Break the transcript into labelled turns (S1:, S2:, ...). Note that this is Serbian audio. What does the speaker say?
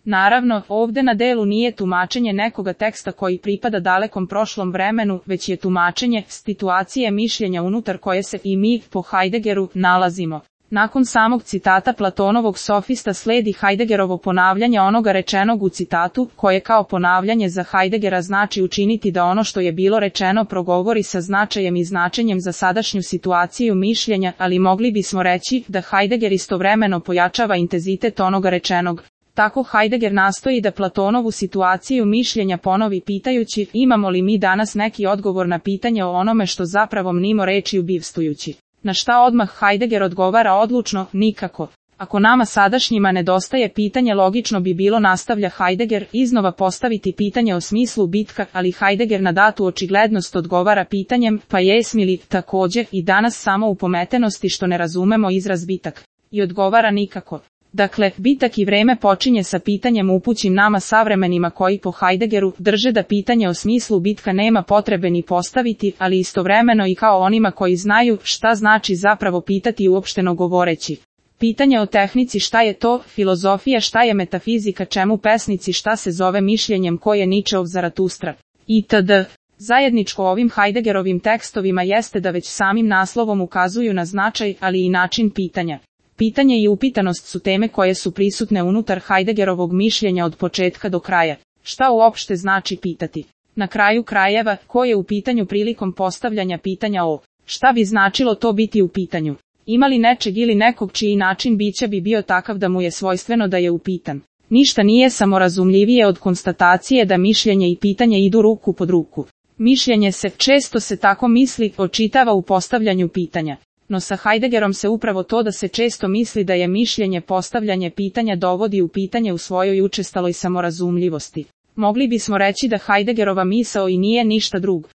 S1: Naravno, ovde na delu nije tumačenje nekoga teksta koji pripada dalekom prošlom vremenu, već je tumačenje situacije mišljenja unutar koje se i mi, po Heideggeru, nalazimo. Nakon samog citata Platonovog sofista sledi Heideggerovo ponavljanje onoga rečenog u citatu, koje kao ponavljanje za Heideggera znači učiniti da ono što je bilo rečeno progovori sa značajem i značenjem za sadašnju situaciju mišljenja, ali mogli bismo reći da Heidegger istovremeno pojačava intenzitet onoga rečenog. Tako Heidegger nastoji da Platonovu situaciju mišljenja ponovi pitajući imamo li mi danas neki odgovor na pitanje o onome što zapravo mnimo rečju bivstvujući. Na šta odmah Heidegger odgovara odlučno, nikako. Ako nama sadašnjima nedostaje pitanje logično bi bilo, nastavlja Heidegger, iznova postaviti pitanje o smislu bitka, ali Heidegger na datu očiglednost odgovara pitanjem, pa jesmi li, također, i danas samo u pometenosti što ne razumemo izraz bitak. I odgovara nikako. Dakle, bitak i vreme počinje sa pitanjem upućim nama savremenima koji po Heideggeru drže da pitanje o smislu bitka nema potrebe ni postaviti, ali istovremeno i kao onima koji znaju šta znači zapravo pitati uopšteno govoreći. Pitanje o tehnici šta je to, filozofija šta je metafizika, čemu pesnici šta se zove mišljenjem koje Ničeov Zaratustra, itd. Zajedničko ovim Heideggerovim tekstovima jeste da već samim naslovom ukazuju na značaj, ali i način pitanja. Pitanje i upitanost su teme koje su prisutne unutar Heideggerovog mišljenja od početka do kraja. Šta uopšte znači pitati? Na kraju krajeva, ko je u pitanju prilikom postavljanja pitanja o šta bi značilo to biti u pitanju? Ima li nečeg ili nekog čiji način bića bi bio takav da mu je svojstveno da je upitan? Ništa nije samorazumljivije od konstatacije da mišljenje i pitanje idu ruku pod ruku. Mišljenje se, često se tako misli, očitava u postavljanju pitanja. No sa Heideggerom se upravo to da se često misli da je mišljenje postavljanje pitanja dovodi u pitanje u svojoj učestaloj samorazumljivosti. Mogli bismo reći da Heideggerova misao i nije ništa drugo.